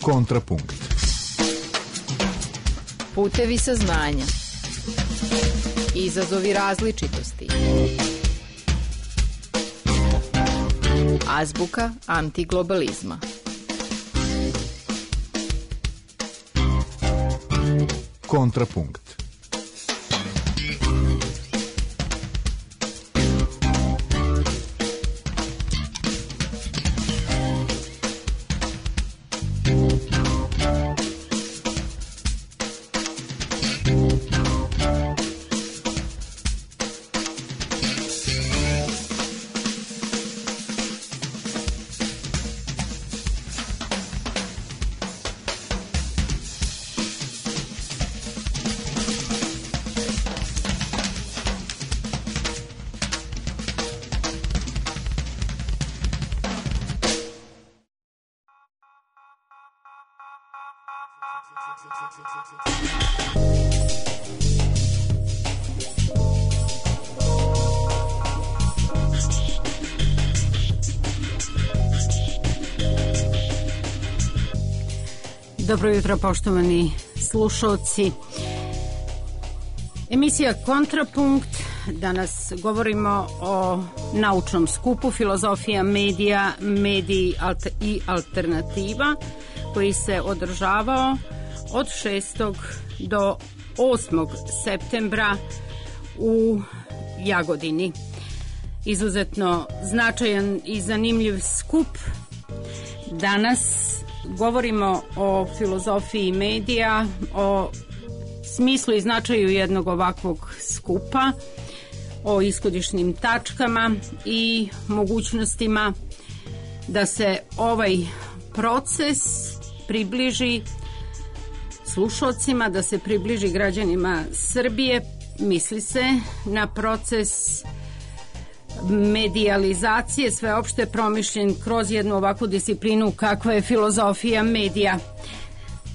Kontrapunkt. Putevi saznanja. Izazovi različitosti. Azbuka antiglobalizma. Kontrapunkt. Dobro jutro, poštovani slušalci. Emisija Kontrapunkt. Danas govorimo o naučnom skupu Filozofija medija, mediji i alternativa, koji se održavao od 6. do 8. septembra u Jagodini. Izuzetno značajan i zanimljiv skup. Danas govorimo o filozofiji medija, o smislu i značaju jednog ovakvog skupa, o ishodišnim tačkama i mogućnostima da se ovaj proces približi slušalcima, da se približi građanima Srbije. Misli se na proces medijalizacije, sveopšte promišljen kroz jednu ovakvu disciplinu kakva je filozofija medija.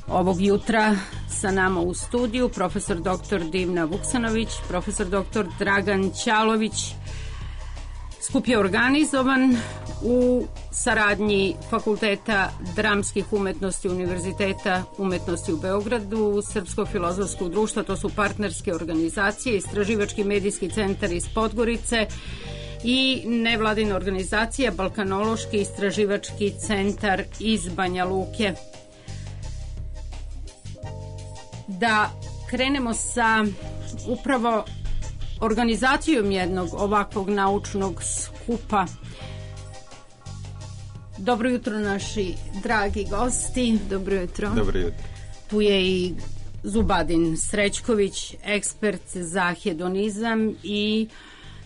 Ovog jutra sa nama u studiju profesor dr. Divna Vuksanović, profesor dr. Dragan Ćalović. Skup je organizovan u saradnji Fakulteta dramskih umetnosti Univerziteta umetnosti u Beogradu, Srpskog filozofskog društva, to su partnerske organizacije, Istraživački medijski centar iz Podgorice i nevladina organizacija Balkanološki istraživački centar iz Banja Luke. Da krenemo sa upravo organizacijom jednog ovakvog naučnog skupa. Dobro jutro, naši dragi gosti. Dobro jutro. Dobro jutro. Tu je i Zubadin Srećković, ekspert za hedonizam i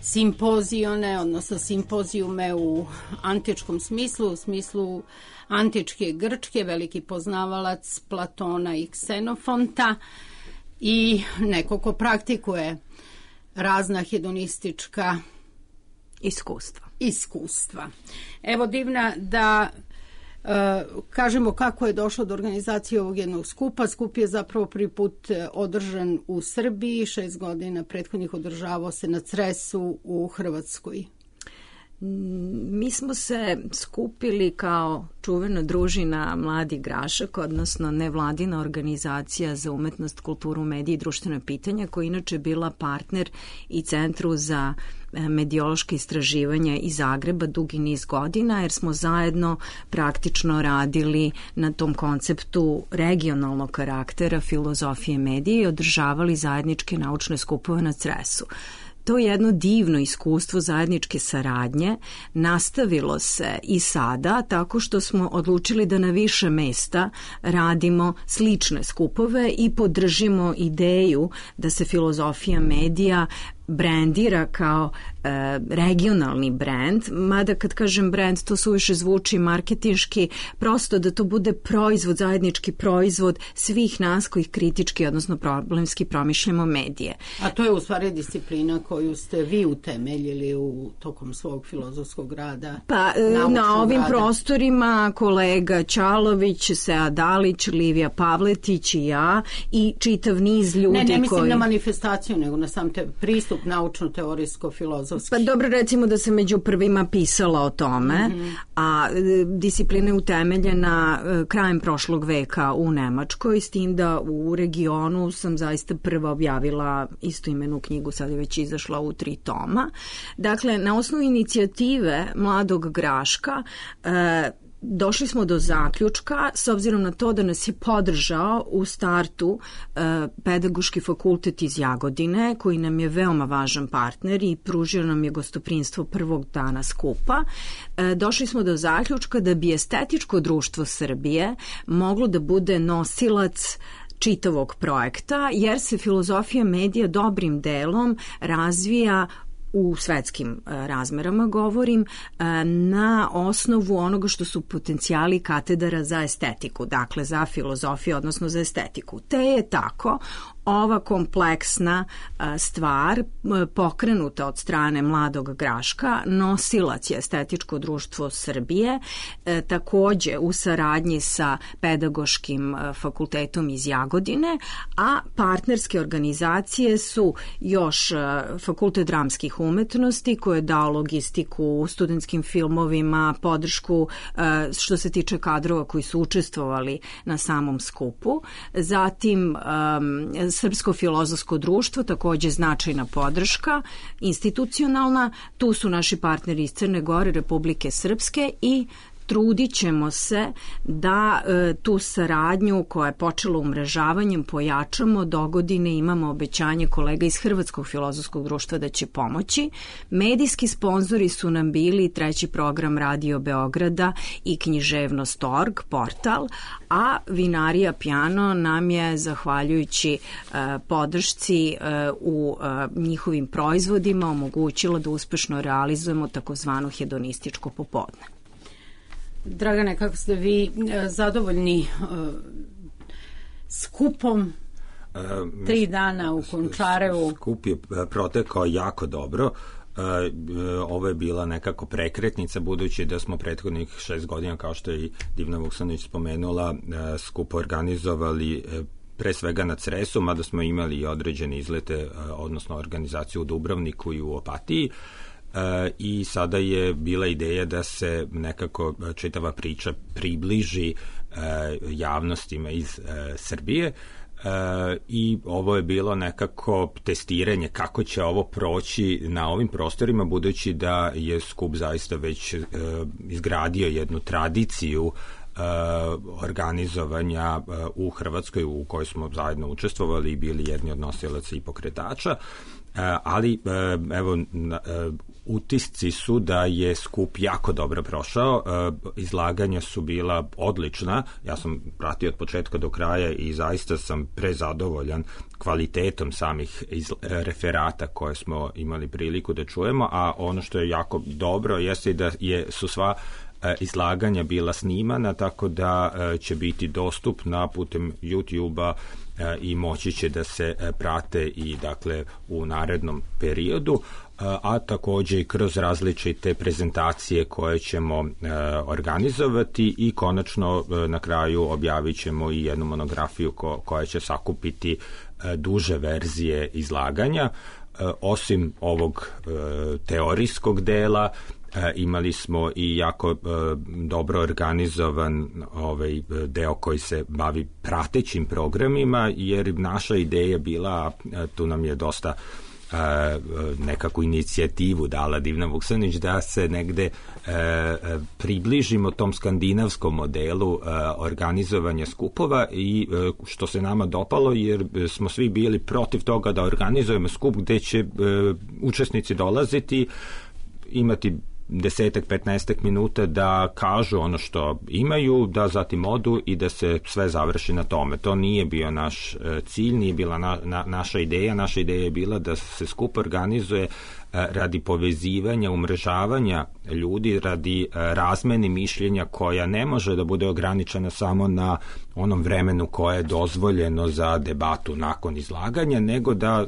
simpozione, odnosno simpozijume u antičkom smislu, u smislu antičke Grčke, veliki poznavalac Platona i Ksenofonta i neko ko praktikuje razna hedonistička iskustva. Evo, Divna, da kažemo kako je došlo do organizacije ovog jednog skupa. Skup je zapravo prvi put održan u Srbiji, 6 godina prethodnih održavao se na Cresu u Hrvatskoj. Mi smo se skupili kao čuvena družina Mladi Grašak, odnosno nevladina organizacija za umetnost, kulturu, medije i društvene pitanja, koja inače bila partner i Centru za medijološke istraživanja iz Zagreba dugi niz godina, jer smo zajedno praktično radili na tom konceptu regionalnog karaktera filozofije medije i održavali zajedničke naučne skupove na Cresu. To jedno divno iskustvo zajedničke saradnje nastavilo se i sada tako što smo odlučili da na više mesta radimo slične skupove i podržimo ideju da se filozofija medija brandira kao regionalni brand, mada kad kažem brand to suviše zvuči marketinški, prosto da to bude proizvod, zajednički proizvod svih nas koji kritički, odnosno problemski promišljamo medije. A to je u stvari disciplina koju ste vi utemeljili tokom svog filozofskog rada? Pa na ovim prostorima kolega Ćalović, Sead Dalić, Livija Pavletić i ja i čitav niz ljudi ne mislim na manifestaciju, nego na sam te pristup pristup naučno-teorijsko-filozofski? Pa dobro, recimo da se među prvima pisala o tome, a disciplina je utemeljena krajem prošlog veka u Nemačkoj, s tim da u regionu sam zaista prva objavila istoimenu knjigu, sad je već izašla u 3 toma. Dakle, na osnovu inicijative Mladog Graška došli smo do zaključka, s obzirom na to da nas je podržao u startu Pedagoški fakultet iz Jagodine, koji nam je veoma važan partner i pružio nam je gostoprinstvo prvog dana skupa. Došli smo do zaključka da bi Estetičko društvo Srbije moglo da bude nosilac čitavog projekta, jer se filozofija medija dobrim delom razvija u svetskim razmerama govorim, na osnovu onoga što su potencijali katedara za estetiku, dakle za filozofiju, odnosno za estetiku. Te je tako ova kompleksna stvar pokrenuta od strane Mladog Graška, nosilac je Estetičko društvo Srbije, takođe u saradnji sa Pedagoškim fakultetom iz Jagodine, a partnerske organizacije su još Fakultet dramskih umetnosti koji je dao logistiku studentskim filmovima, podršku što se tiče kadrova koji su učestvovali na samom skupu, zatim Srpsko filozofsko društvo, takođe značajna podrška, institucionalna, tu su naši partneri iz Crne Gore, Republike Srpske i trudit ćemo se da tu saradnju koja je počela umrežavanjem pojačamo. Dogodine imamo obećanje kolega iz Hrvatskog filozofskog društva da će pomoći. Medijski sponzori su nam bili 3. program Radio Beograda i književnost.org portal, a Vinarija Piano nam je, zahvaljujući podršci u njihovim proizvodima, omogućila da uspešno realizujemo takozvano hedonističko popodne. Dragane, kako ste vi zadovoljni skupom 3 dana u Končarevu? Skup je protekao jako dobro. Ovo je bila nekako prekretnica, budući da smo prethodnih 6 godina, kao što je i Divna Vuksanović spomenula, skup organizovali pre svega na Cresu, mada smo imali i određene izlete, odnosno organizaciju u Dubrovniku i u Opatiji. I sada je bila ideja da se nekako čitava priča približi javnostima iz Srbije i ovo je bilo nekako testiranje kako će ovo proći na ovim prostorima, budući da je skup zaista već izgradio jednu tradiciju organizovanja u Hrvatskoj, u kojoj smo zajedno učestvovali i bili jedni od nosilaca i pokretača, ali evo utisci su da je skup jako dobro prošao, izlaganja su bila odlična, ja sam pratio od početka do kraja i zaista sam prezadovoljan kvalitetom samih referata koje smo imali priliku da čujemo, a ono što je jako dobro jeste da su sva izlaganja bila snimana, tako da će biti dostupna putem YouTube-a i moći će da se prate i dakle u narednom periodu, a takođe i kroz različite prezentacije koje ćemo organizovati i konačno na kraju objavit ćemo i jednu monografiju koja će sakupiti duže verzije izlaganja. Osim ovog teorijskog dela, imali smo i jako dobro organizovan deo koji se bavi pratećim programima, jer naša ideja bila, tu nam je dosta nekakvu inicijativu dala Divna Vuksanović, da se negde približimo tom skandinavskom modelu organizovanja skupova, i što se nama dopalo, jer smo svi bili protiv toga da organizujemo skup gde će učesnici dolaziti, imati 10-15 minuta da kažu ono što imaju, da zatim odu i da se sve završi na tome. To nije bio naš cilj, nije bila naša ideja. Naša ideja je bila da se skup organizuje radi povezivanja, umrežavanja ljudi, radi razmene mišljenja koja ne može da bude ograničena samo na onom vremenu koje je dozvoljeno za debatu nakon izlaganja, nego da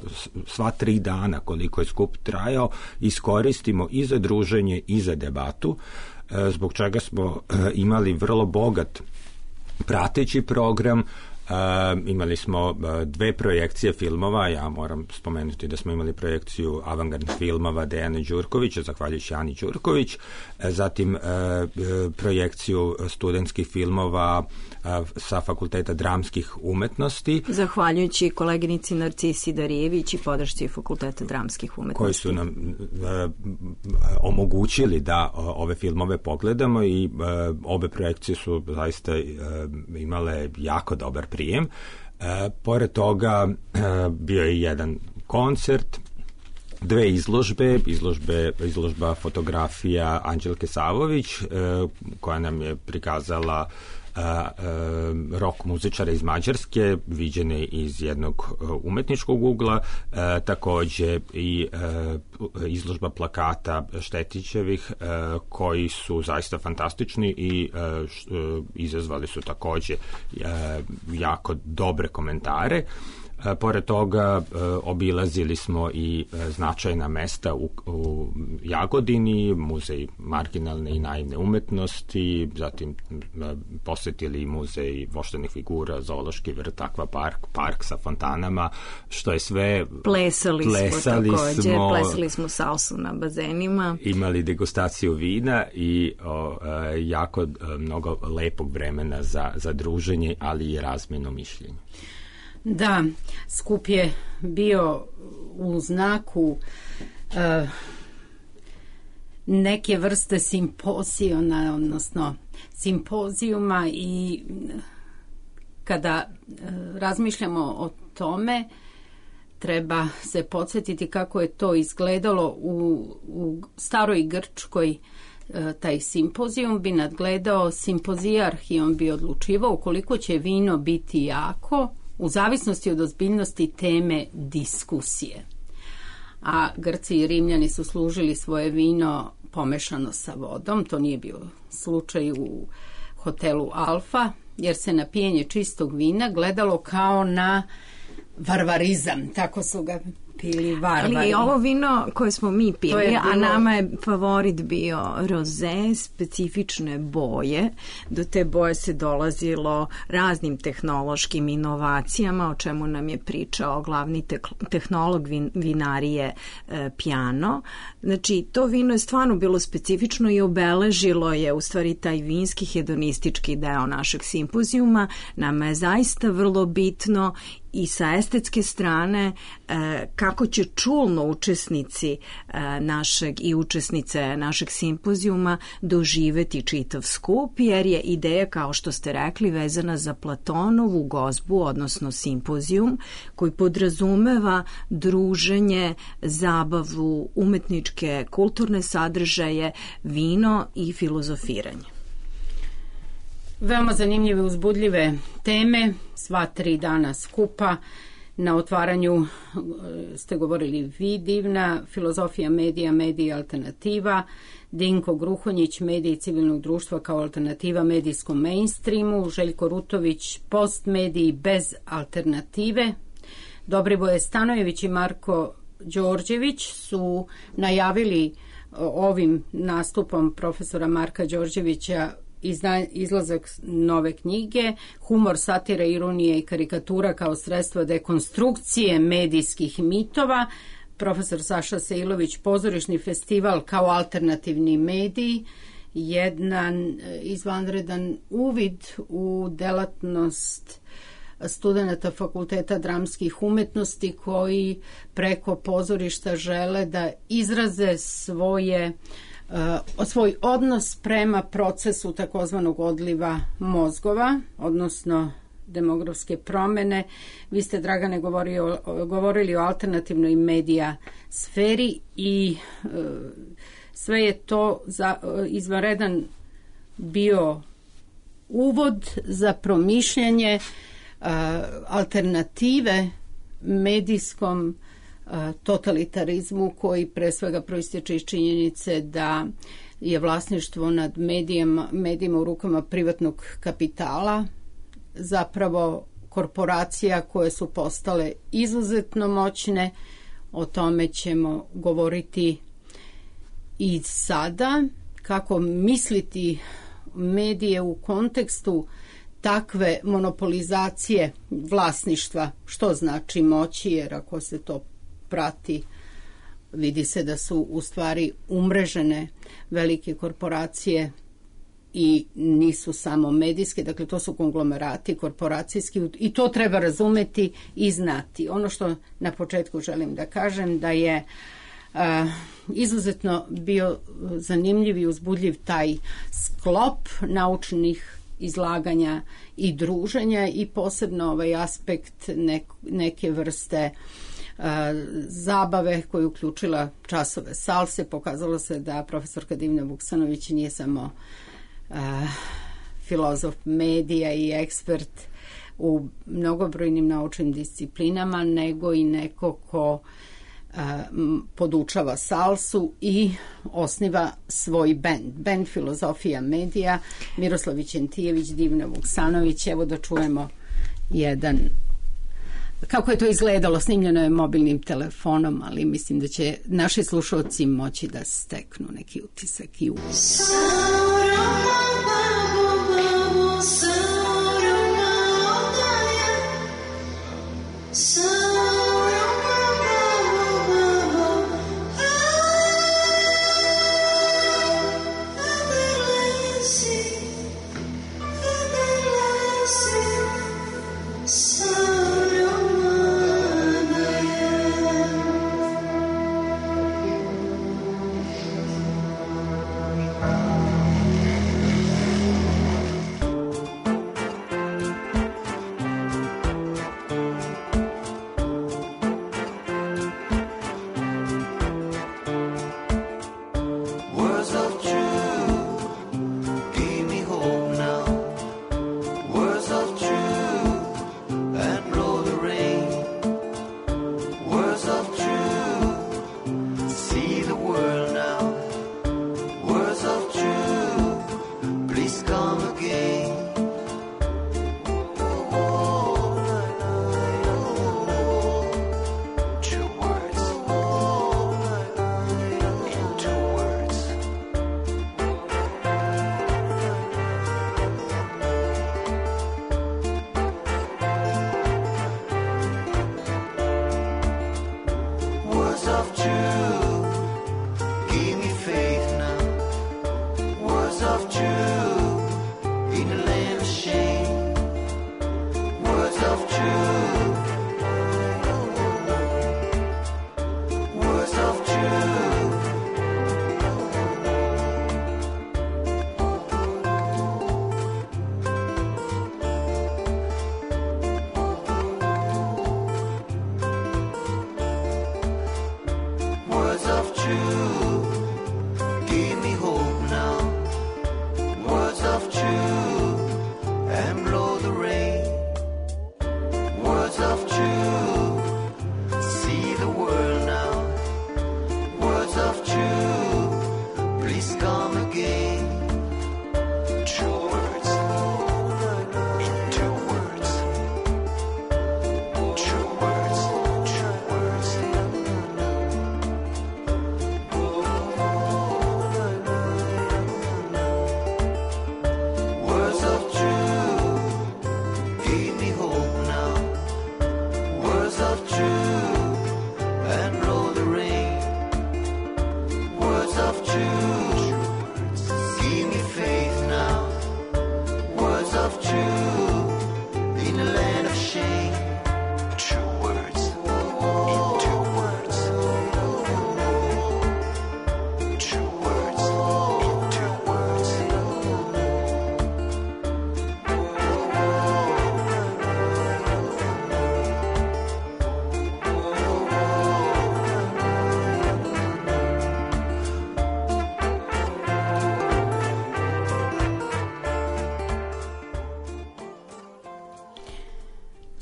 sva 3 dana koliko je skup trajao iskoristimo i za druženje i za debatu, zbog čega smo imali vrlo bogat prateći program, Imali smo 2 projekcije filmova, ja moram spomenuti da smo imali projekciju avangardnih filmova Dejana Đurkovića, zahvaljujući Ani Đurković, zatim projekciju studentskih filmova sa Fakulteta dramskih umetnosti. Zahvaljujući koleginici Narcisi Darijević i podršci Fakulteta dramskih umetnosti. Koji su nam omogućili da ove filmove pogledamo i obe projekcije su zaista imale jako dobar prijem. Pored toga bio je jedan koncert, 2 izložba fotografija Anđelke Savović koja nam je prikazala rock muzičara iz Mađarske, viđene iz jednog umetničkog ugla, takođe i izložba plakata Štetićevih koji su zaista fantastični i izazvali su takođe jako dobre komentare. Pored toga obilazili smo i značajna mesta u Jagodini, muzej marginalne i naivne umetnosti, zatim posetili muzej voštanih figura, zoološki vrt, akvapark sa fontanama, što je sve... Plesali smo salsu na bazenima. Imali degustaciju vina i jako mnogo lepog vremena za druženje, ali i razmenu mišljenja. Da, skup je bio u znaku neke vrste simpozijona, odnosno simpozijuma, i kada razmišljamo o tome treba se podsjetiti kako je to izgledalo u staroj Grčkoj. Taj simpozijum bi nadgledao simpozijarh i on bi odlučivao koliko će vino biti jako u zavisnosti od ozbiljnosti teme diskusije. A Grci i Rimljani su služili svoje vino pomešano sa vodom. To nije bio slučaj u hotelu Alfa, jer se na pijenje čistog vina gledalo kao na varvarizam. Tako su ga pili varvari. Ali ovo vino koje smo mi pili, a nama je favorit bio roze, specifične boje. Do te boje se dolazilo raznim tehnološkim inovacijama, o čemu nam je pričao glavni tehnolog vinarije Piano. Znači, to vino je stvarno bilo specifično i obeležilo je u stvari taj vinski hedonistički deo našeg simpozijuma. Nama je zaista vrlo bitno i sa estetske strane kako će čulno učesnici našeg i učesnice našeg simpozijuma doživeti čitav skup, jer je ideja, kao što ste rekli, vezana za Platonovu gozbu, odnosno simpozijum, koji podrazumeva druženje, zabavu, umetničke, kulturne sadržaje, vino i filozofiranje. Veoma zanimljive, uzbudljive teme, sva 3 dana skupa. Na otvaranju ste govorili vi, Divna, filozofija medija, medija alternativa, Dinko Gruhonjić, mediji civilnog društva kao alternativa medijskom mainstreamu, Željko Rutović, postmediji bez alternative, Dobrivoje Stanojević i Marko Đorđević su najavili ovim nastupom profesora Marka Đorđevića izlazak nove knjige Humor, satira, ironija i karikatura kao sredstvo dekonstrukcije medijskih mitova. Profesor Saša Sejlović, pozorišni festival kao alternativni mediji, jedan izvanredan uvid u delatnost studenata Fakulteta dramskih umetnosti koji preko pozorišta žele da izraze svoj odnos prema procesu takozvanog odliva mozgova, odnosno demografske promene. Vi ste, Dragane, govorili o alternativnoj medija sferi i sve je to izvanredan bio uvod za promišljanje alternative medijskom totalitarizmu koji pre svega proističe iz činjenice da je vlasništvo nad medijima u rukama privatnog kapitala, zapravo korporacija koje su postale izuzetno moćne. O tome ćemo govoriti i sada. Kako misliti medije u kontekstu takve monopolizacije vlasništva, što znači moći, jer ako se to prati, vidi se da su u stvari umrežene velike korporacije i nisu samo medijske, dakle to su konglomerati korporacijski i to treba razumeti i znati. Ono što na početku želim da kažem da je izuzetno bio zanimljiv i uzbudljiv taj sklop naučnih izlaganja i druženja i posebno ovaj aspekt neke vrste zabave koja je uključila časove salse. Pokazalo se da profesorka Divna Vuksanović nije samo filozof medija i ekspert u mnogobrojnim naučnim disciplinama, nego i neko ko podučava salsu i osniva svoj bend Filozofija medija. Miroslav Vićentijević, Divna Vuksanović. Evo da čujemo jedan, kako je to izgledalo. Snimljeno je mobilnim telefonom, ali mislim da će naši slušalci moći da steknu neki utisak i uvis.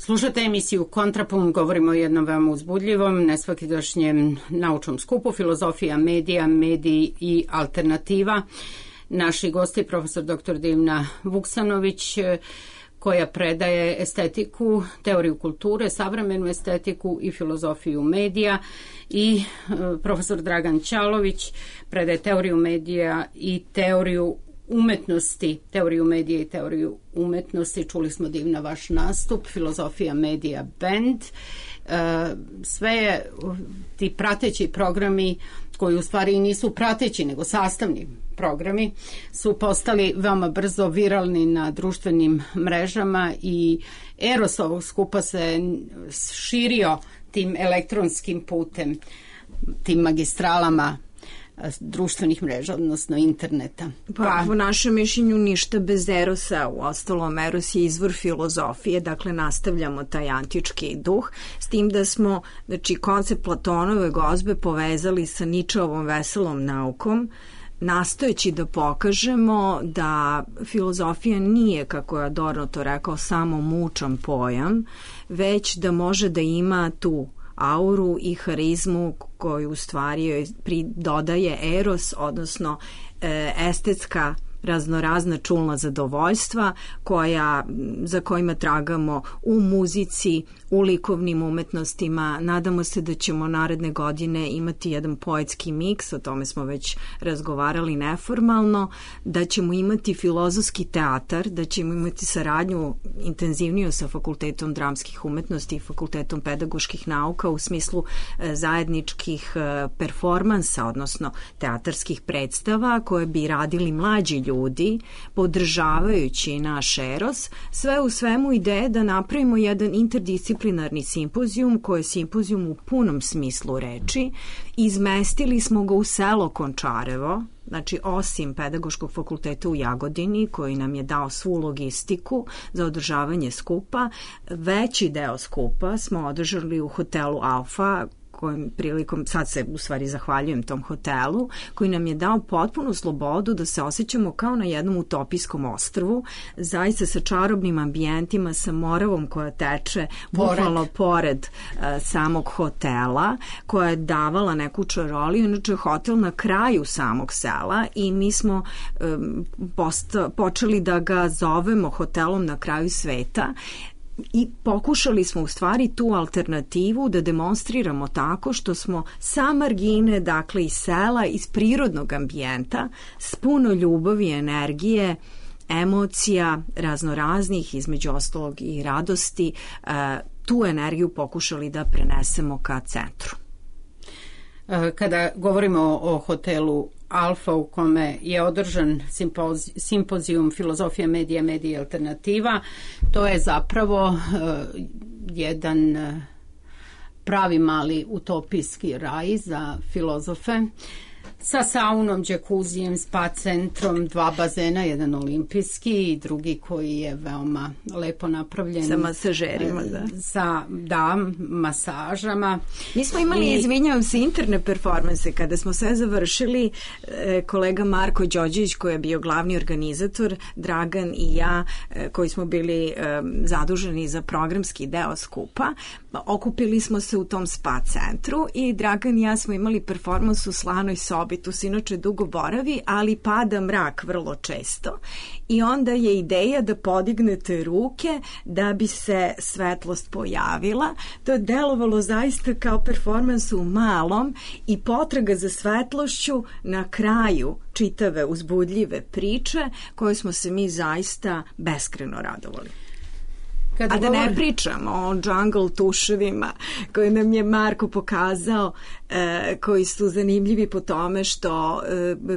Slušate emisiju Kontrapunkt, govorimo o jednom veoma uzbudljivom, nesvakidašnjem naučnom skupu Filozofija medija, mediji i alternativa. Naši gosti, profesor dr. Divna Vuksanović, koja predaje estetiku, teoriju kulture, savremenu estetiku i filozofiju medija, i profesor Dragan Ćalović predaje teoriju medija i teoriju umetnosti, teoriju medije i teoriju umetnosti. Čuli smo divna vaš nastup, Filozofija medija band. Sve je, ti prateći programi koji u stvari nisu prateći nego sastavni programi su postali veoma brzo viralni na društvenim mrežama i eros ovog skupa se širio tim elektronskim putem, tim magistralama društvenih mreža, odnosno interneta. Pa, po našem mišljenju ništa bez erosa, u ostalom eros je izvor filozofije, dakle nastavljamo taj antički duh, s tim da smo, znači, koncept Platonove gozbe povezali sa Ničeovom veselom naukom, nastojeći da pokažemo da filozofija nije, kako je Adorno to rekao, samo mučan pojam, već da može da ima tu auru i harizmu koju u stvari dodaje eros, odnosno estetska raznorazna čulna zadovoljstva za kojima tragamo u muzici, u likovnim umetnostima. Nadamo se da ćemo naredne godine imati jedan poetski miks, o tome smo već razgovarali neformalno, da ćemo imati filozofski teatar, da ćemo imati saradnju intenzivniju sa Fakultetom dramskih umetnosti i Fakultetom pedagoških nauka u smislu zajedničkih performansa, odnosno teatarskih predstava koje bi radili mlađi ljudi, podržavajući naš eros. Sve u svemu ideje da napravimo jedan interdisciplinarni simpozijum, koji je simpozijum u punom smislu reči. Izmestili smo ga u selo Končarevo, znači osim Pedagoškog fakulteta u Jagodini, koji nam je dao svu logistiku za održavanje skupa, veći deo skupa smo održali u hotelu Alfa, kojim prilikom, sad se u stvari zahvaljujem tom hotelu, koji nam je dao potpunu slobodu da se osjećamo kao na jednom utopijskom ostrvu, zaista sa čarobnim ambijentima, sa Moravom koja teče bukvalno pored samog hotela, koja je davala neku čaroliju. Inače, hotel na kraju samog sela i mi smo počeli da ga zovemo hotelom na kraju sveta. I pokušali smo u stvari tu alternativu da demonstriramo tako što smo sa margine, dakle iz sela, iz prirodnog ambijenta, s puno ljubavi i energije, emocija raznoraznih, između ostalog i radosti, tu energiju pokušali da prenesemo ka centru. Kada govorimo o hotelu Alfa u kome je održan simpozijum Filozofija medija, medija i alternativa, to je zapravo jedan pravi mali utopijski raj za filozofe sa saunom, džakuzijem, spa centrom, 2 bazena, jedan olimpijski i drugi koji je veoma lepo napravljen. Sa masažerima, da. Sa, masažama. Mi smo imali, izvinjavam se, interne performanse. Kada smo sve završili, kolega Marko Đorđević, koji je bio glavni organizator, Dragan i ja, koji smo bili zaduženi za programski deo skupa, okupili smo se u tom spa centru i Dragan i ja smo imali performans u slanoj sobi. Tu se inače dugo boravi, ali pada mrak vrlo često i onda je ideja da podignete ruke da bi se svetlost pojavila. To je delovalo zaista kao performans u malom i potraga za svetlošću na kraju čitave uzbudljive priče koje smo se mi zaista beskrajno radovali. A da ne pričamo o jungle tuševima koje nam je Marko pokazao, koji su zanimljivi po tome što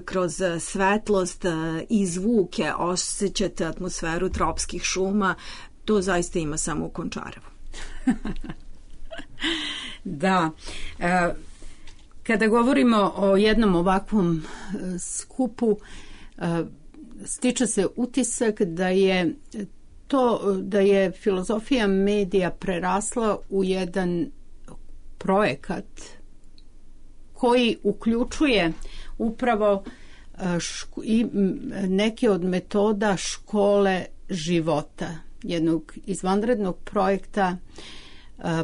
kroz svetlost i zvuke osjećate atmosferu tropskih šuma. To zaista ima samo u Končarevu. Da. Kada govorimo o jednom ovakvom skupu, stiče se utisak da je filozofija medija prerasla u jedan projekat koji uključuje upravo i neke od metoda škole života, jednog izvanrednog projekta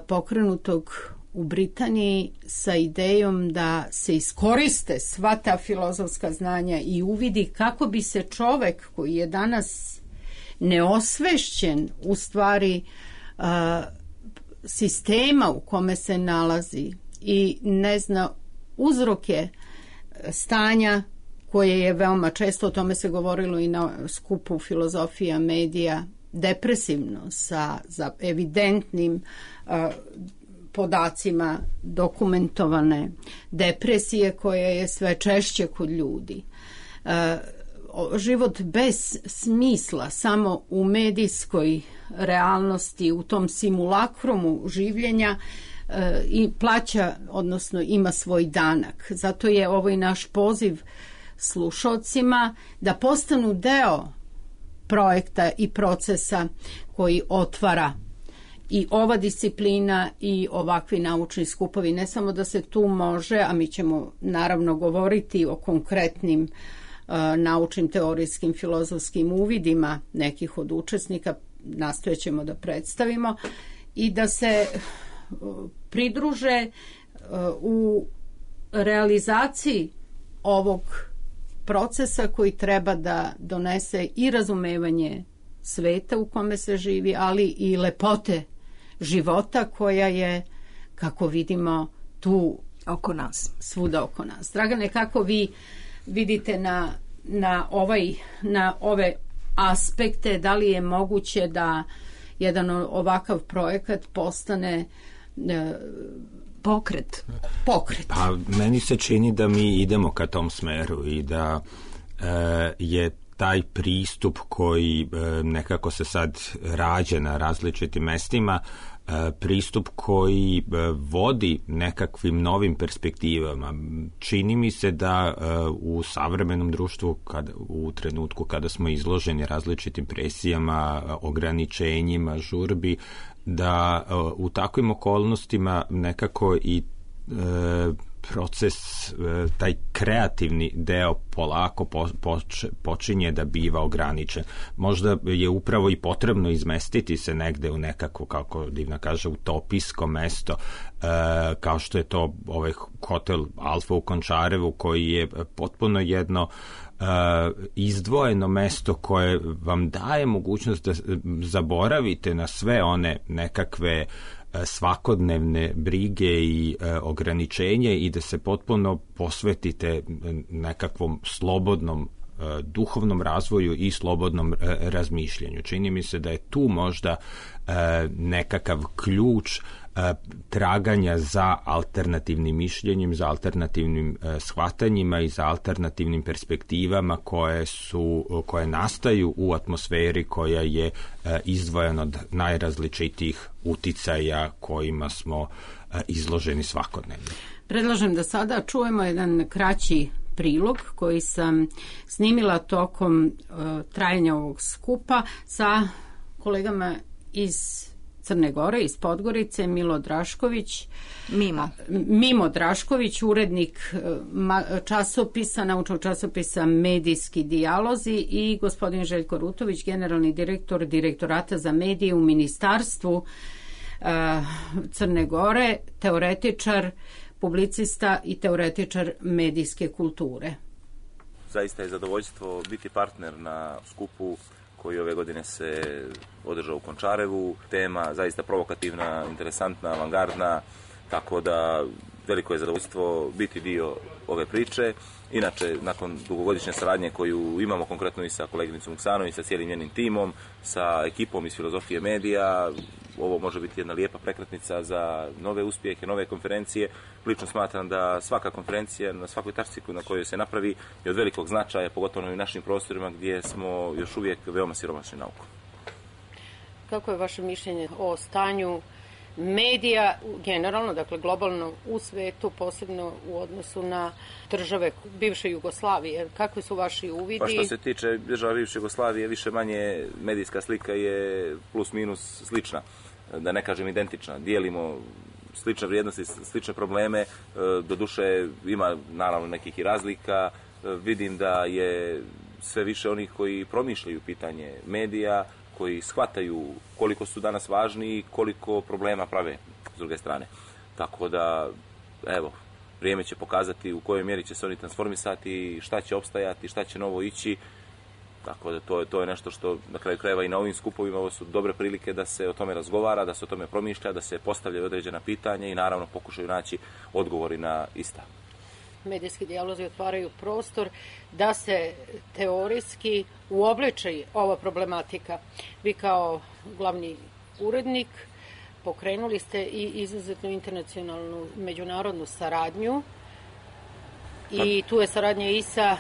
pokrenutog u Britaniji sa idejom da se iskoriste sva ta filozofska znanja i uvidi kako bi se čovek koji je danas neosvešćen u stvari sistema u kome se nalazi i ne zna uzroke stanja koje je veoma često, o tome se govorilo i na skupu Filozofija medija, depresivno sa evidentnim podacima dokumentovane depresije koja je sve češće kod ljudi. Život bez smisla samo u medijskoj realnosti, u tom simulakrumu življenja i plaća, odnosno ima svoj danak. Zato je ovo i naš poziv slušalcima da postanu deo projekta i procesa koji otvara i ova disciplina i ovakvi naučni skupovi. Ne samo da se tu može, a mi ćemo naravno govoriti o konkretnim naučnim, teorijskim, filozofskim uvidima nekih od učesnika, nastojat ćemo da predstavimo i da se pridruže u realizaciji ovog procesa koji treba da donese i razumevanje sveta u kome se živi, ali i lepote života koja je, kako vidimo, tu oko nas, svuda oko nas. Dragane, kako vi vidite na ove aspekte, da li je moguće da jedan ovakav projekat postane pokret? Pa meni se čini da mi idemo ka tom smeru i da je taj pristup koji nekako se sad rađa na različitim mestima, pristup koji vodi nekakvim novim perspektivama. Čini mi se da u savremenom društvu, u trenutku kada smo izloženi različitim presijama, ograničenjima, žurbi, da u takvim okolnostima nekako i proces, taj kreativni deo polako počinje da biva ograničen. Možda je upravo i potrebno izmestiti se negde u nekako, kako Divna kaže, utopijsko mesto, kao što je to ovaj hotel Alfa u Končarevu, koji je potpuno jedno izdvojeno mesto koje vam daje mogućnost da zaboravite na sve one nekakve svakodnevne brige i ograničenje i da se potpuno posvetite nekakvom slobodnom duhovnom razvoju i slobodnom razmišljanju. Čini mi se da je tu možda nekakav ključ traganja za alternativnim mišljenjem, za shvatanjima i za alternativnim perspektivama koje nastaju u atmosferi koja je izdvojena od najrazličitijih uticaja kojima smo izloženi svakodnevno. Predlažem da sada čujemo jedan kraći prilog koji sam snimila tokom trajanja ovog skupa sa kolegama iz Crne Gore, iz Podgorice, Mimo Drašković, urednik časopisa, naučnog časopisa Medijski dijalozi, i gospodin Željko Rutović, generalni direktor Direktorata za medije u Ministarstvu Crne Gore, teoretičar, publicista i teoretičar medijske kulture. Zaista je zadovoljstvo biti partner na skupu koji ove godine se održao u Končarevu. Tema zaista provokativna, interesantna, avangardna, tako da veliko je zadovoljstvo biti dio ove priče. Inače, nakon dugogodišnje saradnje koju imamo konkretno i sa koleginicom Vuksanović, sa cijelim njenim timom, sa ekipom iz Filozofije medija, ovo može biti jedna lijepa prekretnica za nove uspjehe, nove konferencije. Lično smatram da svaka konferencija na svakoj tačci na kojoj se napravi je od velikog značaja, pogotovo i u našim prostorima gdje smo još uvijek veoma siromašni naukom. Kako je vaše mišljenje o stanju medija generalno, dakle globalno u svetu, posebno u odnosu na države bivše Jugoslavije? Kakvi su vaši uvidi? Pa što se tiče država bivše Jugoslavije, više manje medijska slika je plus minus slična, da ne kažem identična. Dijelimo slične vrijednosti, slične probleme, doduše ima naravno nekih i razlika. Vidim da je sve više onih koji promišljaju pitanje medija, koji shvataju koliko su danas važni i koliko problema prave s druge strane. Tako da, evo, vrijeme će pokazati u kojoj mjeri će se oni transformisati, šta će opstajati, šta će novo ići. Tako da to je nešto što na kraju krajeva i na ovim skupovima, ovo su dobre prilike da se o tome razgovara, da se o tome promišlja, da se postavljaju određena pitanja i naravno pokušaju naći odgovori na ista. medijski dijalozi otvaraju prostor da se teorijski uobliči ova problematika. Vi kao glavni urednik pokrenuli ste i izuzetnu internacionalnu međunarodnu saradnju i tu je saradnja i sa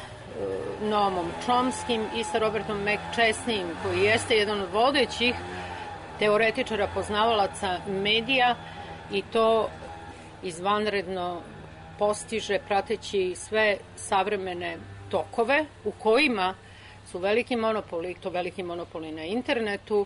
Noamom Chomskim i sa Robertom McChesneyem, koji jeste jedan od vodećih teoretičara, poznavalaca medija, i to izvanredno postiže prateći sve savremene tokove u kojima su veliki monopoli, to veliki monopoli na internetu,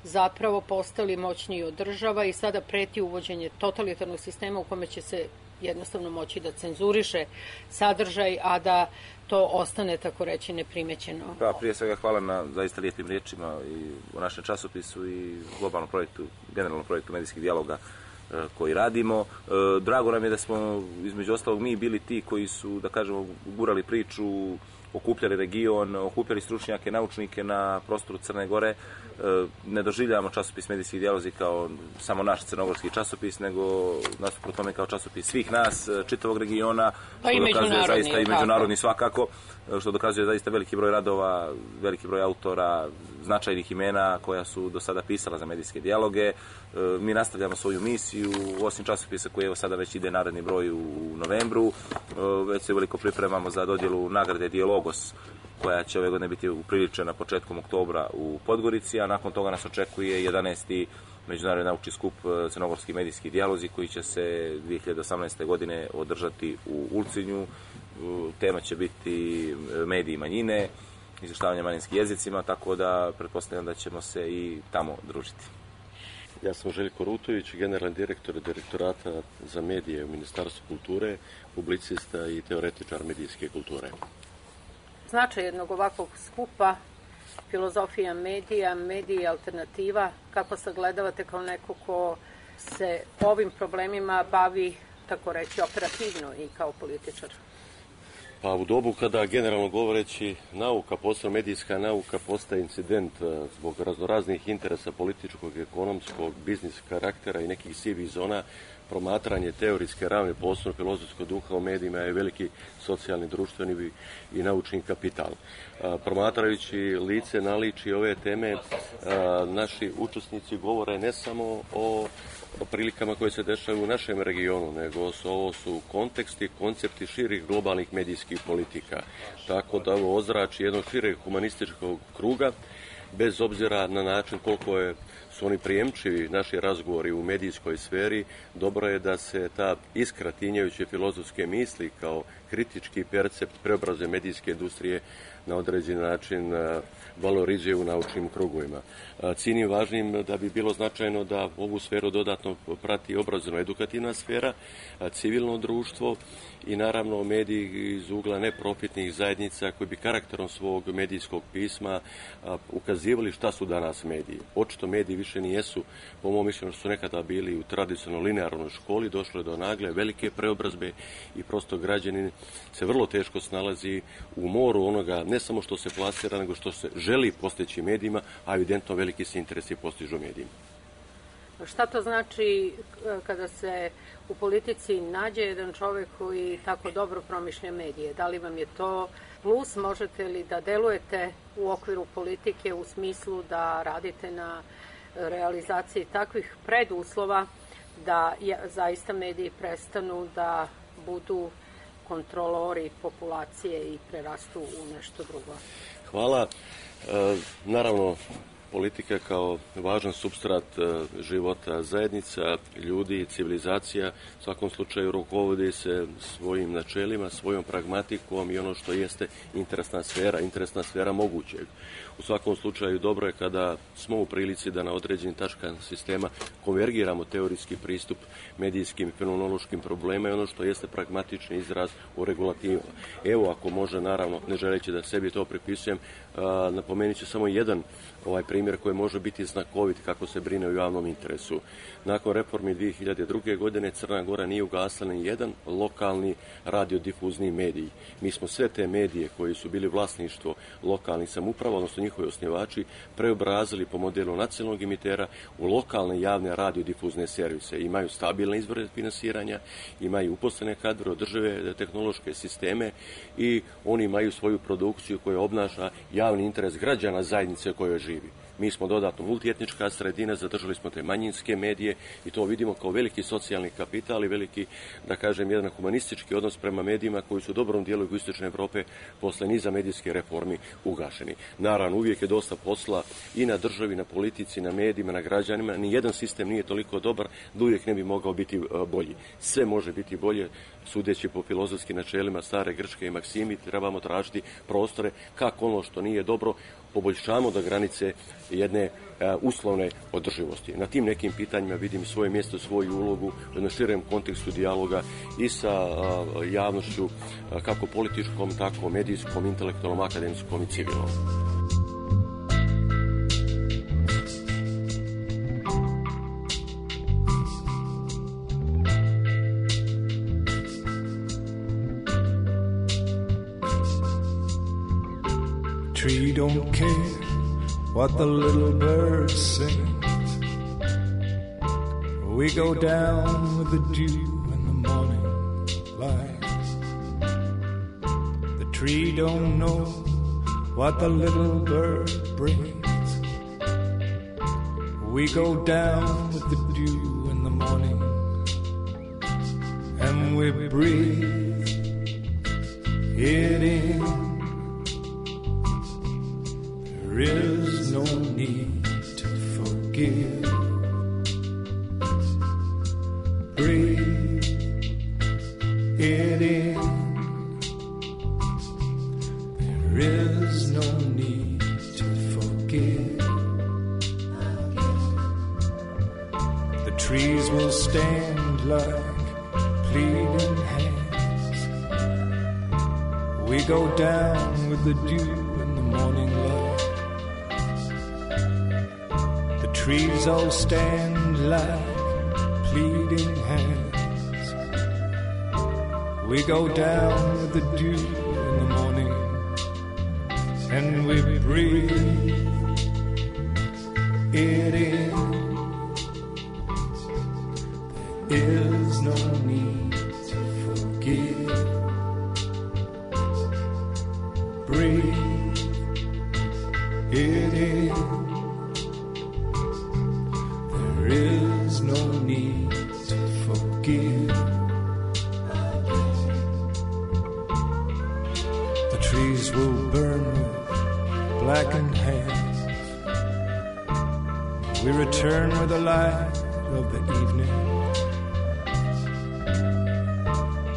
zapravo postali moćniji od država i sada preti uvođenje totalitarnog sistema u kome će se jednostavno moći da cenzuriše sadržaj, a da to ostane, tako reći, neprimećeno. Pa, prije svega hvala na zaista lijepim riječima i u našem časopisu i globalnom projektu, generalnom projektu medijskih dijaloga koji radimo. Drago nam je da smo, između ostalog, mi bili ti koji su, da kažemo, gurali priču, okupljali region, okupljali stručnjake, naučnike na prostoru Crne Gore. Ne doživljavamo časopis Medijskih dijalozi kao samo naš crnogorski časopis, nego nasuprot tome kao časopis svih nas, čitavog regiona, pa i zaista i međunarodni svakako, što dokazuje zaista veliki broj radova, veliki broj autora, značajnih imena koja su do sada pisala za medijske dijaloge. Mi nastavljamo svoju misiju, osim časopisa koji evo sada već ide naredni broj u novembru. Već se veliko pripremamo za dodjelu nagrade Dijalogos, koja će ove godine biti upriličena početkom oktobra u Podgorici, a nakon toga nas očekuje 11. Međunarodni naučni skup Crnogorski medijski dijalozi, koji će se 2018. godine održati u Ulcinju. Tema će biti mediji manjine, izvještavanje manjinskim jezicima, tako da pretpostavljam da ćemo se i tamo družiti. Ja sam Željko Rutović, generalni direktor Direktorata za medije u Ministarstvu kulture, publicista i teoretičar medijske kulture. Značaj jednog ovakvog skupa, filozofija medija, mediji alternativa, kako sagledavate kao neko ko se ovim problemima bavi, tako reći, operativno i kao političar? Pa u dobu kada, generalno govoreći, nauka, posebno medijska nauka, postaje incident zbog raznoraznih interesa političkog, ekonomskog, biznis karaktera i nekih sivih zona, promatranje teorijske ravne posebno filozofskog duha u medijima je veliki socijalni, društveni i naučni kapital. Promatrajući lice naličje ove teme, naši učesnici govore ne samo o prilikama koje se dešavaju u našem regionu, nego ovo su konteksti, koncepti širih globalnih medijskih politika. Tako da ovo ozrači jednog šireg humanističkog kruga, bez obzira na način koliko su oni prijemčivi naši razgovori u medijskoj sferi, dobro je da se ta iskra tinjajuće filozofske misli kao kritički percept preobraze medijske industrije na određen način valorizuje u naučnim krugovima. Cijenim važnim da bi bilo značajno da ovu sferu dodatno prati obrazovno-edukativna sfera, civilno društvo i naravno mediji iz ugla neprofitnih zajednica koji bi karakterom svog medijskog pisma ukazivali šta su danas mediji. Očito mediji više nijesu, po mom mišljenju, što su nekada bili u tradicionalno linearnoj školi, došlo je do nagle velike preobrazbe i prosto građanin se vrlo teško snalazi u moru onoga, ne samo što se plasira, nego što se želi postići medijima, a evidentno veliki se interesi postižu medijima. Šta to znači kada se u politici nađe jedan čovjek koji tako dobro promišlja medije? Da li vam je to plus? Možete li da delujete u okviru politike u smislu da radite na realizaciji takvih preduslova da zaista mediji prestanu da budu kontrolori populacije i prerastu u nešto drugo? Hvala. Naravno, politika kao važan supstrat života zajednica, ljudi, civilizacija, u svakom slučaju rukovodi se svojim načelima, svojom pragmatikom i ono što jeste interesna sfera mogućeg. U svakom slučaju dobro je kada smo u prilici da na određenim tačkama sistema konvergiramo teorijski pristup medijskim i fenomenološkim problema i ono što jeste pragmatični izraz u regulativama. Evo, ako može, naravno, ne želeći da sebi to pripisujem, napomenut ću samo jedan primjer primjer koji može biti znakovit kako se brine o javnom interesu. Nakon reformi 2002. godine Crna Gora nije ugasila ni jedan lokalni radiodifuzni medij. Mi smo sve te medije koji su bili vlasništvo lokalnih samouprava, odnosno njihovi osnivači, preobrazili po modelu nacionalnog emitera u lokalne javne radiodifuzne servise. Imaju stabilne izvore finansiranja, imaju uposlene kadre, održive tehnološke sisteme i oni imaju svoju produkciju koja obnaša javni interes građana zajednice u kojoj živi. Mi smo dodatno multietnička sredina, zadržali smo te manjinske medije i to vidimo kao veliki socijalni kapital i veliki, da kažem, jedan humanistički odnos prema medijima koji su u dobrom dijelu jugoistočne Evrope posle niza medijske reformi ugašeni. Naravno, uvijek je dosta posla i na državi, na politici, na medijima, na građanima. Nijedan sistem nije toliko dobar da uvijek ne bi mogao biti bolji. Sve može biti bolje, sudeći po filozofskim načelima stare grčke i maksimi, trebamo tražiti prostore kako ono što nije dobro poboljšamo do granice jedne uslovne održivosti. Na tim nekim pitanjima vidim svoje mjesto, svoju ulogu u jednom širem kontekstu dijaloga i sa javnošću, kako političkom, tako medijskom, intelektualnom, akademskom i civilnom. Tree don't care what the little bird sings. We go down with the dew in the morning light. The tree don't know what the little bird brings. We go down with the dew in the morning, and we breathe it in. There is no need to forgive. Breathe it in. There is no need to forgive. The trees will stand like pleading hands. We go down with the dew in the morning light. Trees all stand like pleading hands. We go down with the dew in the morning, and we breathe it in. There is no need to forgive. Breathe it in. There is no need to forgive. The trees will burn with blackened hands. We return with the light of the evening.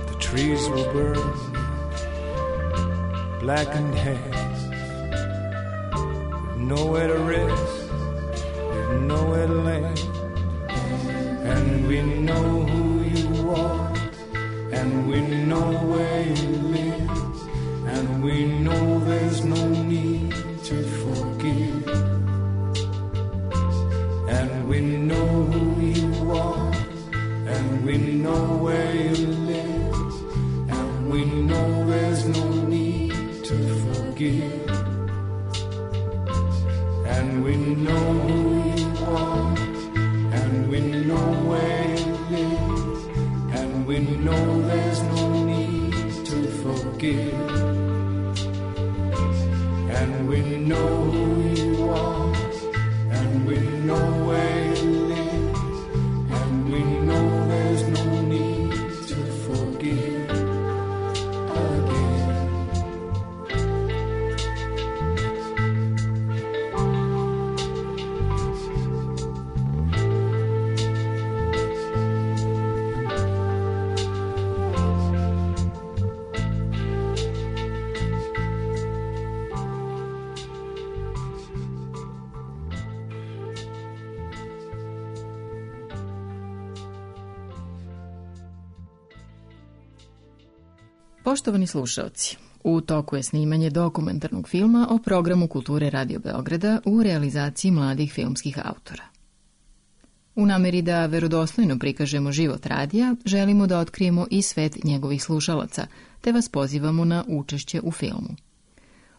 The trees will burn with blackened hands. We've nowhere to rest, we've nowhere to land. And we know who you are, and we know where you live, and we know there's no need to forgive. And we know who you are, and we know where you live, and we know there's no need to forgive. And we know who you are, and we know where you live, and we know there's no need to forgive. And we know who you are, and we know where you live, and we know there's no need to forgive again. Poštovani slušaoci, U toku je snimanje dokumentarnog filma o programu Kulture Radio Beograda u realizaciji mladih filmskih autora. U nameri da verodostojno prikažemo život radija, želimo da otkrijemo i svet njegovih slušalaca, te vas pozivamo na učešće u filmu.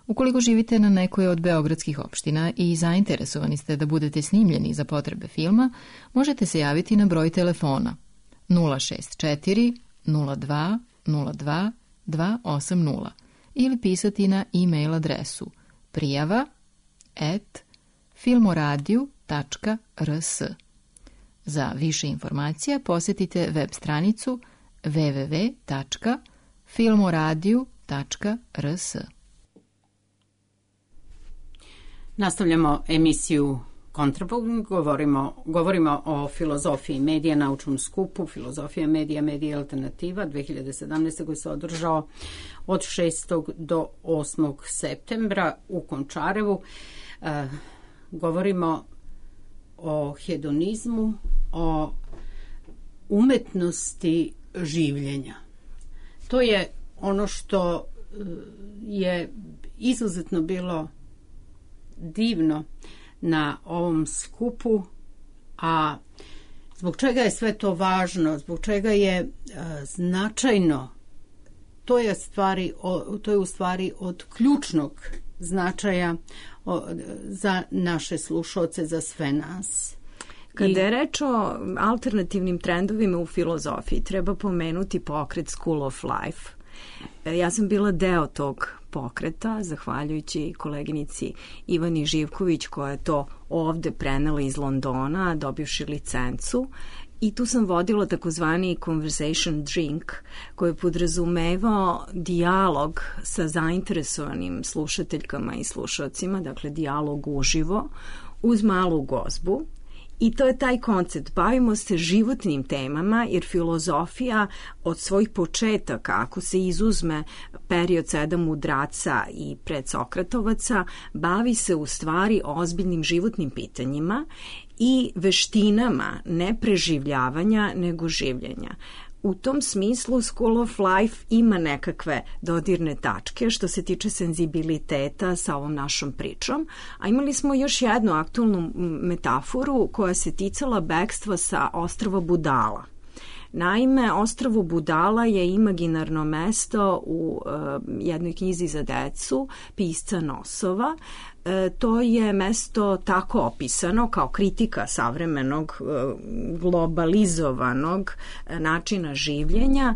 Ukoliko živite na nekoj od beogradskih opština i zainteresovani ste da budete snimljeni za potrebe filma, možete se javiti na broj telefona 064 02 02 280 ili pisati na e-mail adresu prijava@filmoradio.rs. Za više informacija posjetite web stranicu www.filmoradio.rs. Nastavljamo emisiju Kontrapunkt, govorimo o filozofiji medija, naučnom skupu, filozofija medija, medija alternativa, 2017. koji se održao od 6. do 8. septembra u Končarevu. Govorimo o hedonizmu, o umetnosti življenja. To je ono što je izuzetno bilo divno na ovom skupu, a zbog čega je sve to važno, zbog čega je značajno, to je u stvari od ključnog značaja za naše slušaoce, za sve nas. Kada je reč o alternativnim trendovima u filozofiji, treba pomenuti pokret School of Life. Ja sam bila deo tog pokreta, zahvaljujući koleginici Ivani Živković, koja je to ovde prenela iz Londona, dobivši licencu. I tu sam vodila takozvani conversation drink, koji je podrazumevao dijalog sa zainteresovanim slušateljkama i slušalcima, dakle dijalog uživo, uz malu gozbu. I to je taj koncept. Bavimo se životnim temama, jer filozofija od svojih početaka, ako se izuzme period 7 mudraca i predsokratovaca, bavi se u stvari ozbiljnim životnim pitanjima i veštinama ne preživljavanja, nego življenja. U tom smislu School of Life ima nekakve dodirne tačke što se tiče senzibiliteta sa ovom našom pričom, a imali smo još jednu aktualnu metaforu koja se ticala bekstva sa ostrva Budala. Naime, ostrvo Budala je imaginarno mesto u jednoj knjizi za decu pisca Nosova. To je mesto tako opisano kao kritika savremenog globalizovanog načina življenja,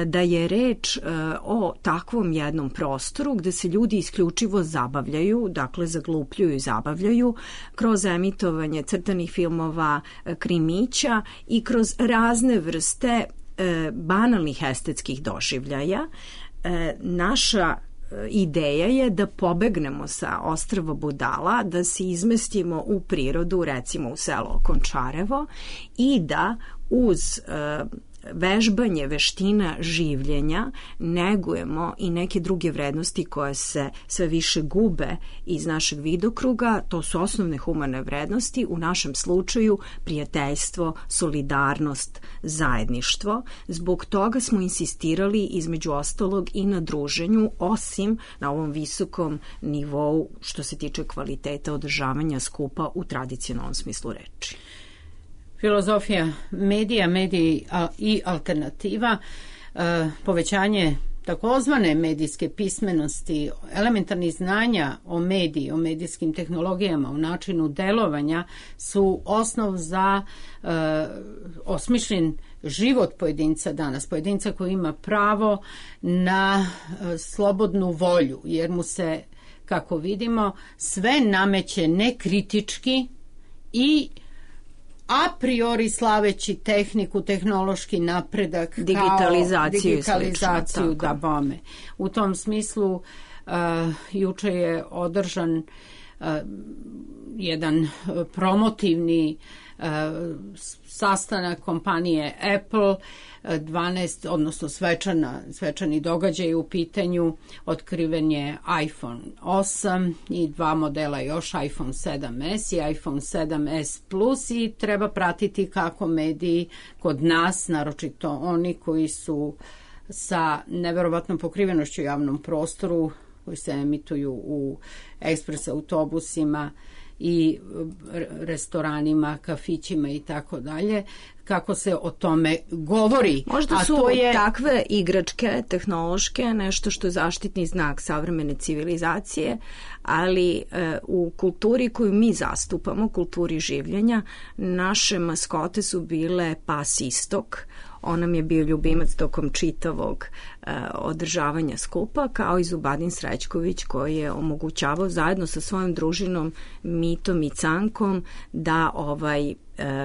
da je reč o takvom jednom prostoru gde se ljudi isključivo zabavljaju, dakle zaglupljuju i zabavljaju kroz emitovanje crtanih filmova, krimića i kroz razne vrste banalnih estetskih doživljaja. Naša ideja je da pobegnemo sa ostrva Budala, da se izmestimo u prirodu, recimo u selo Končarevo, i da uz vežbanje veština življenja negujemo i neke druge vrednosti koje se sve više gube iz našeg vidokruga. To su osnovne humane vrednosti, u našem slučaju prijateljstvo, solidarnost, zajedništvo. Zbog toga smo insistirali između ostalog i na druženju, osim na ovom visokom nivou što se tiče kvaliteta održavanja skupa u tradicionalnom smislu reči. Filozofija medija, mediji i alternativa, povećanje takozvane medijske pismenosti, elementarnih znanja o mediji, o medijskim tehnologijama, o načinu delovanja su osnov za osmišljen život pojedinca danas, pojedinca koji ima pravo na slobodnu volju, jer mu se, kako vidimo, sve nameće nekritički i a priori slaveći tehniku, tehnološki napredak, digitalizaciju da bome. U tom smislu juče je održan jedan promotivni sastanak kompanije Apple, 12, odnosno svečani događaj u pitanju, otkriven je iPhone 8 i 2 modela još, iPhone 7s i iPhone 7s Plus, i treba pratiti kako mediji kod nas, naročito oni koji su sa neverovatnom pokrivenošću u javnom prostoru, koji se emituju u ekspres autobusima i restoranima, kafićima i tako dalje, kako se o tome govori. Možda su takve igračke, tehnološke, nešto što je zaštitni znak savremene civilizacije, ali u kulturi koju mi zastupamo, kulturi življenja, naše maskote su bile pas Istok. On nam je bio ljubimac tokom čitavog održavanja skupa, kao i Zubadin Srećković, koji je omogućavao zajedno sa svojom družinom Mitom i Cankom da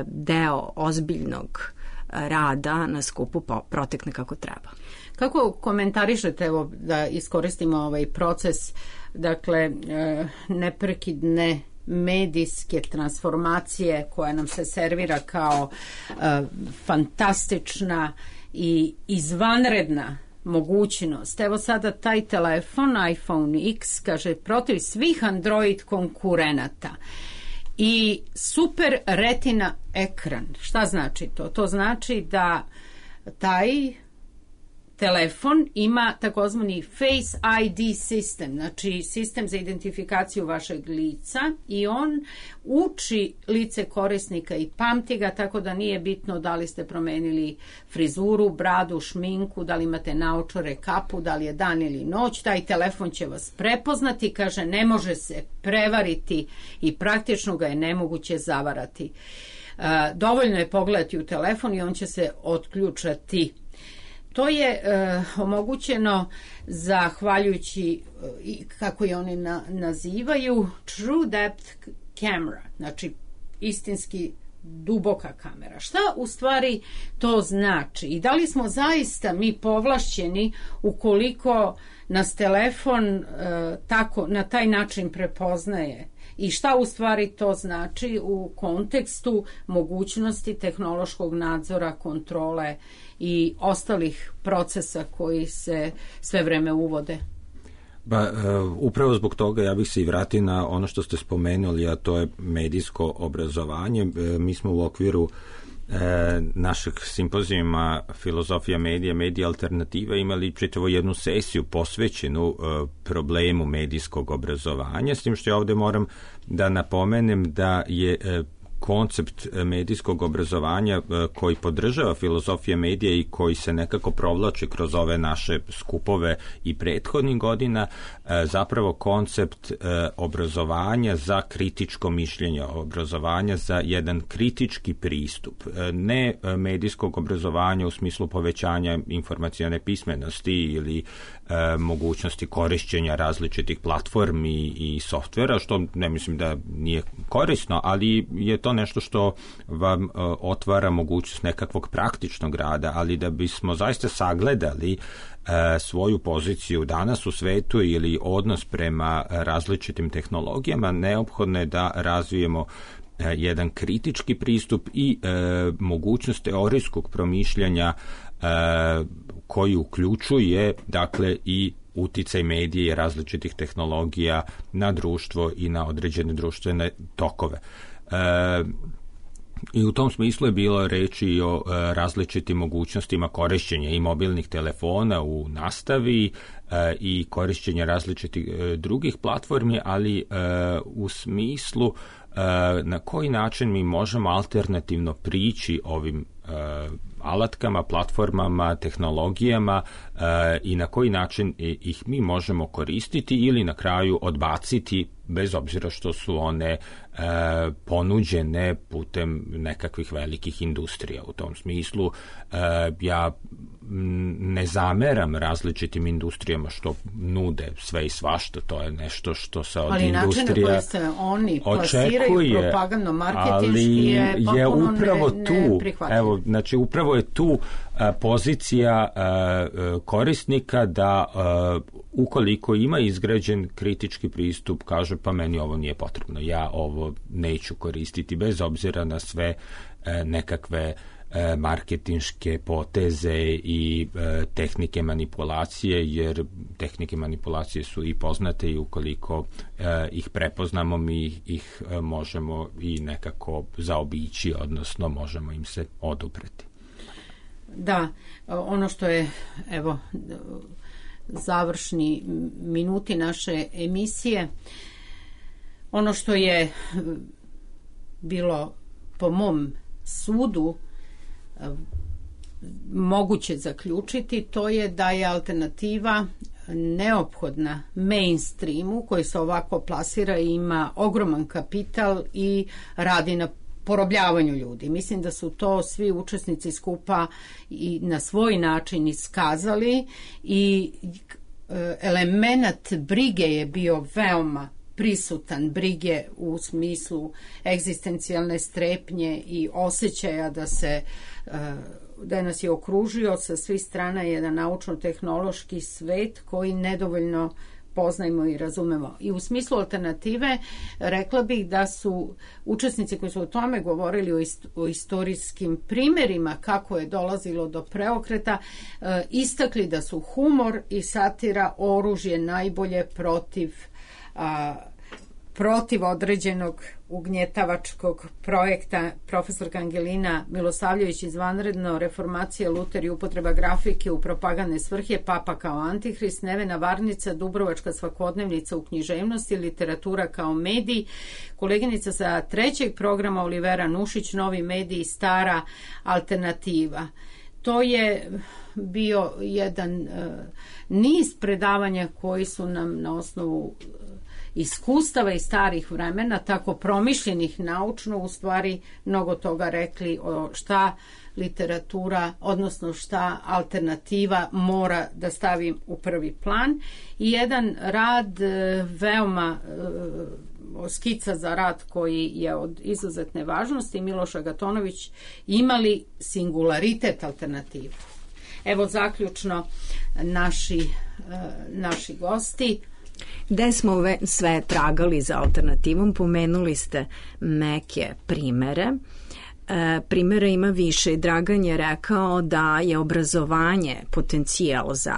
deo ozbiljnog rada na skupu protekne kako treba. Kako komentarišete, evo da iskoristimo ovaj proces, dakle neprekidne medijske transformacije koja nam se servira kao fantastična i izvanredna mogućnost. Evo sada taj telefon, iPhone X, kaže, protiv svih Android konkurenata i super retina ekran. Šta znači to? To znači da taj telefon ima takozvani Face ID sistem, znači sistem za identifikaciju vašeg lica, i on uči lice korisnika i pamti ga, tako da nije bitno da li ste promenili frizuru, bradu, šminku, da li imate naočare, kapu, da li je dan ili noć, taj telefon će vas prepoznati, kaže, ne može se prevariti i praktično ga je nemoguće zavarati. Dovoljno je pogledati u telefon i on će se otključati. To je omogućeno zahvaljujući, kako je oni nazivaju, True Depth Camera, znači istinski duboka kamera. Šta u stvari to znači? I da li smo zaista mi povlašćeni ukoliko nas telefon na taj način prepoznaje? I šta u stvari to znači u kontekstu mogućnosti tehnološkog nadzora, kontrole i ostalih procesa koji se sve vreme uvode? Upravo zbog toga ja bih se i vratio na ono što ste spomenuli, a to je medijsko obrazovanje. Mi smo u okviru našeg simpozijuma Filozofija medija, medija alternativa imali čitavu jednu sesiju posvećenu problemu medijskog obrazovanja, s tim što ja ovdje moram da napomenem da je koncept medijskog obrazovanja koji podržava filozofija medija i koji se nekako provlači kroz ove naše skupove i prethodnih godina, zapravo koncept obrazovanja za kritičko mišljenje, obrazovanja za jedan kritički pristup, ne medijskog obrazovanja u smislu povećanja informacione pismenosti ili mogućnosti korišćenja različitih platformi i softvera, što ne mislim da nije korisno, ali je to nešto što vam otvara mogućnost nekakvog praktičnog rada, ali da bismo zaista sagledali svoju poziciju danas u svetu ili odnos prema različitim tehnologijama, neophodno je da razvijemo jedan kritički pristup i mogućnost teorijskog promišljanja koji uključuje, dakle, i uticaj medije i različitih tehnologija na društvo i na određene društvene tokove. I u tom smislu je bilo reći i o različitim mogućnostima korišćenja i mobilnih telefona u nastavi i korišćenja različitih drugih platformi, ali u smislu na koji način mi možemo alternativno prići ovim alatkama, platformama, tehnologijama i na koji način ih mi možemo koristiti ili na kraju odbaciti, bez obzira što su one ponuđene putem nekakvih velikih industrija. U tom smislu ja ne zameram različitim industrijama što nude sve i svašta, to je nešto što se od industrija očekuje. Ali način na koji se oni plasiraju propagandno-marketinški je potpuno neprihvatljiv. Evo, znači upravo je tu pozicija korisnika da ukoliko ima izgrađen kritički pristup, kaže pa meni ovo nije potrebno, ja ovo neću koristiti, bez obzira na sve nekakve marketinške poteze i tehnike manipulacije, jer tehnike manipulacije su i poznate i ukoliko ih prepoznamo, mi ih možemo i nekako zaobići, odnosno možemo im se odupreti. Da, ono što je, evo, završni minuti naše emisije, ono što je bilo po mom sudu moguće zaključiti, to je da je alternativa neophodna mainstreamu koji se ovako plasira i ima ogroman kapital i radi na porobljavanju ljudi. Mislim da su to svi učesnici skupa i na svoj način iskazali i element brige je bio veoma prisutan, brige u smislu egzistencijalne strepnje i osjećaja da nas je okružio sa svih strana jedan naučno-tehnološki svet koji nedovoljno poznajemo i razumemo. I u smislu alternative rekla bih da su učesnici koji su o tome govorili o istorijskim primjerima kako je dolazilo do preokreta, istakli da su humor i satira oružje najbolje protiv određenog ugnjetavačkog projekta. Profesorka Angelina Milosavljević izvanredno, reformacija, Luter i upotreba grafike u propagandne svrhe, Papa kao antihrist, Nevena Varnica, Dubrovačka svakodnevnica u književnosti, literatura kao medij, koleginica sa 3. programa Olivera Nušić, novi mediji, stara alternativa. To je bio jedan niz predavanja koji su nam na osnovu iskustava iz starih vremena, tako promišljenih naučno, u stvari mnogo toga rekli o šta literatura, odnosno šta alternativa mora da stavi u prvi plan. I jedan rad veoma skica za rad koji je od izuzetne važnosti, Miloš Agatonović, imali singularitet alternativu. Evo zaključno naši gosti. Gde smo sve tragali za alternativom, pomenuli ste neke primere. Primjera ima više. Dragan je rekao da je obrazovanje potencijal za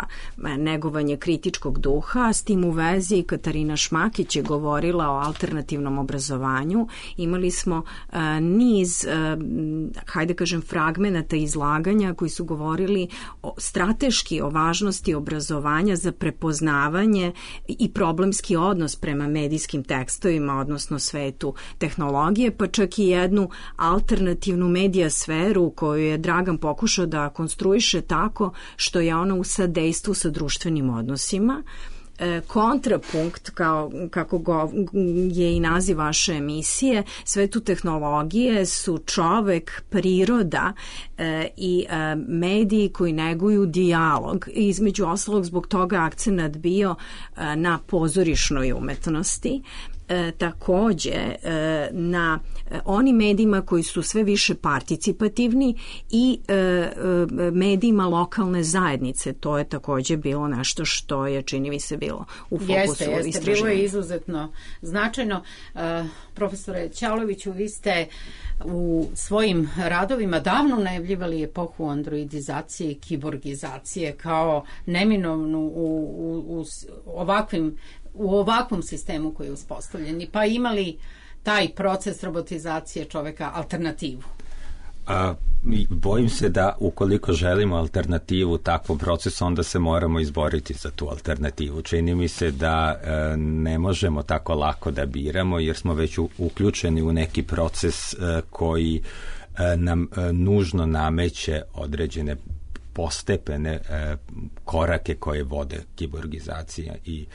negovanje kritičkog duha. S tim u vezi Katarina Šmakić je govorila o alternativnom obrazovanju. Imali smo niz, hajde kažem, fragmenata izlaganja koji su govorili strateški o važnosti obrazovanja za prepoznavanje i problemski odnos prema medijskim tekstovima, odnosno svetu tehnologije, pa čak i jednu alternativnu medija sferu koju je Dragan pokušao da konstruiše tako što je ona u sadejstvu sa društvenim odnosima. Kontrapunkt, kako je i naziv vaše emisije, svetu tehnologije su čovek, priroda i mediji koji neguju dijalog. Između ostalog, zbog toga akcenat bio na pozorišnoj umetnosti. Takođe na onim medijima koji su sve više participativni i medijima lokalne zajednice. To je takođe bilo nešto što je, čini mi se, bilo u fokusu istraživanja. Jeste, bilo je izuzetno značajno. Profesore Ćaloviću, vi ste u svojim radovima davno najavljivali epohu androidizacije i kiborgizacije kao neminovnu u ovakvom sistemu koji je uspostavljen, pa imali taj proces robotizacije čoveka alternativu? Bojim se da ukoliko želimo alternativu takvom procesu, onda se moramo izboriti za tu alternativu. Čini mi se da ne možemo tako lako da biramo, jer smo već uključeni u neki proces koji nam nužno nameće određene postepene korake koje vode kiborgizacija i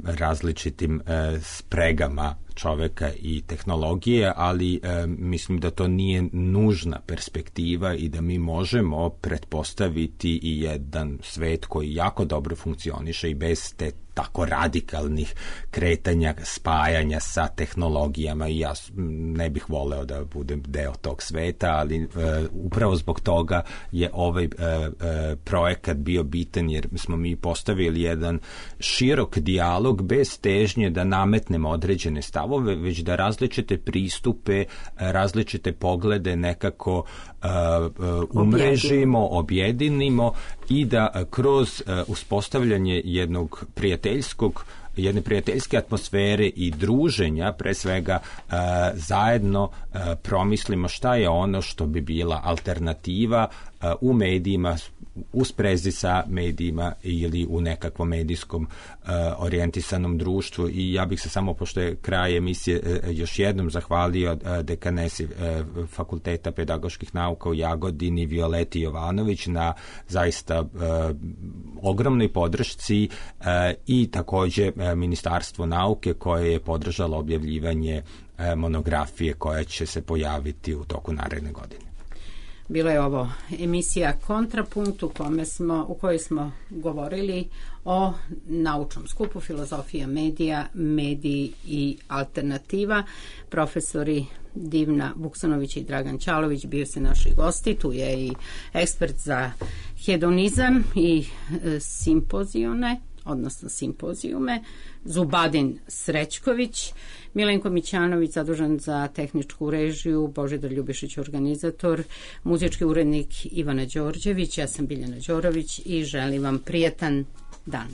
različitim spregama čoveka i tehnologije, ali mislim da to nije nužna perspektiva i da mi možemo pretpostaviti i jedan svet koji jako dobro funkcioniše i bez te tako radikalnih kretanja, spajanja sa tehnologijama, i ja ne bih voleo da budem deo tog sveta, ali upravo zbog toga je ovaj projekat bio bitan, jer smo mi postavili jedan širok dijalog bez težnje da nametnemo određene stavove, već da različite pristupe, različite poglede nekako umrežimo, objedinimo i da kroz uspostavljanje jednog prijateljskog jedne prijateljske atmosfere i druženja, pre svega zajedno promislimo šta je ono što bi bila alternativa u medijima, u sprezi sa medijima ili u nekakvom medijskom orijentisanom društvu. I ja bih se samo, pošto je kraj emisije, još jednom zahvalio dekanesi Fakulteta pedagoških nauka u Jagodini Violeti Jovanović na zaista ogromnoj podršci i takođe Ministarstvo nauke koje je podržalo objavljivanje monografije koja će se pojaviti u toku naredne godine. Bila je ovo emisija Kontrapunkt u kojoj smo govorili o naučnom skupu Filozofija medija, mediji i alternativa. Profesori Divna Vuksanović i Dragan Ćalović bio se naši gosti. Tu je i ekspert za hedonizam i simpozijume, Zubadin Srećković, Milenko Mićanović zadužen za tehničku režiju, Božidar Ljubišić organizator, muzički urednik Ivana Đorđević, ja sam Biljana Đorović i želim vam prijatan dan.